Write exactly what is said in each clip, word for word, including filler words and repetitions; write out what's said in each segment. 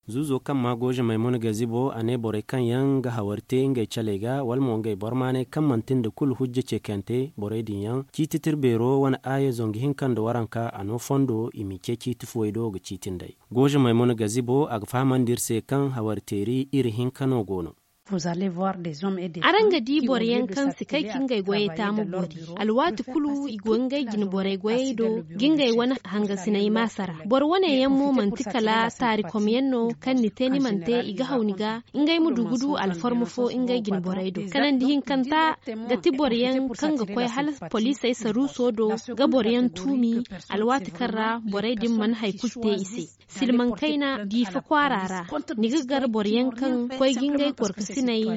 Zuuzo kaŋ maa gooze maymuna gazibo a ne borey kaŋ yaŋ ga hawari te ngey caley ga wala mo ngey bormaaney kaŋ manti nda kulu hujja ceekante borey din yaŋ ciiti tirbeero wane aaye zangu hinka nda waranka a no fondo i m'i ce ciiti fuwey do ga ciiti nd'ey. Gooze maymuna gazibo a ga fahamandi iri se kaŋ hawari teeri iri hinka no go no. Araŋ ga di boro yaŋ kaŋ si kay ka ngey goyey taamu boori. Alwaati kulu i go ngey jine borey goyey do ga ngey wane hangasiney maasara. Boro wane yaŋ mo manti kala taarikomyaŋ no kaŋ ni te ni mana te i ga haw ni ga ngey ma du ga du alfarma fo ngey jine borey do. Kanandi hinkanta ga ti boro yaŋ kaŋ ga koy hala poliisey saruuso do ga boro yaŋ tuumi. Alwaati kaŋ ra borey din mana hari kulu te i se. Silmaŋ kayna diifa kwaara ra ni ga gar boro yaŋ kaŋ koy ga ngey gorkasiney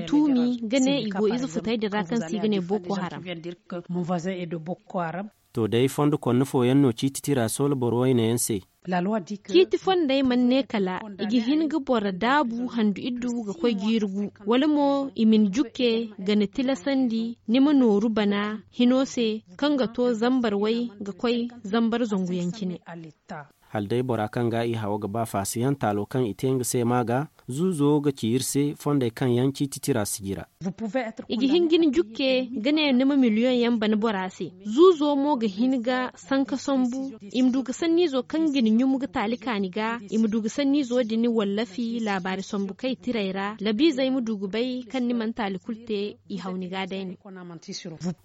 tuumi ga ne i go ize futey din ra kaŋ se i ga ne boko haram. To day fondo konna fooyaŋ no ciiti tira soola boro wayne yaŋ se. Ciiti fondey mana ne kala i ga hin ga boro daabu handu iddu ga koy jiiri gu wala mo i ma ni jukke ga ni tilasandi ni ma nooru bana hino se kaŋ ga to zambar way ga koy zambar zangu yaŋ cine. Hala day bora kaŋ ga i hawo ga ba faasiyaŋ taalo kaŋ i te nga se ma ga zuuzo ga ci iri se fondey kaŋ yaŋ ciiti tira sijira. I ga hin ga ni jukke ga ne ni ma miliyoŋ yaŋ bana bora se. Zuuzo mo ga hin ga sanka sambu i ma du ga sanniizo kaŋ ga ni ɲum ga taali kaani ga i ma du ga sanniizo din wallafi laabaari sambu kay tirey ra labiizey ma du ga bay kaŋ ni mana taali kulu te. I haw ni ga day no.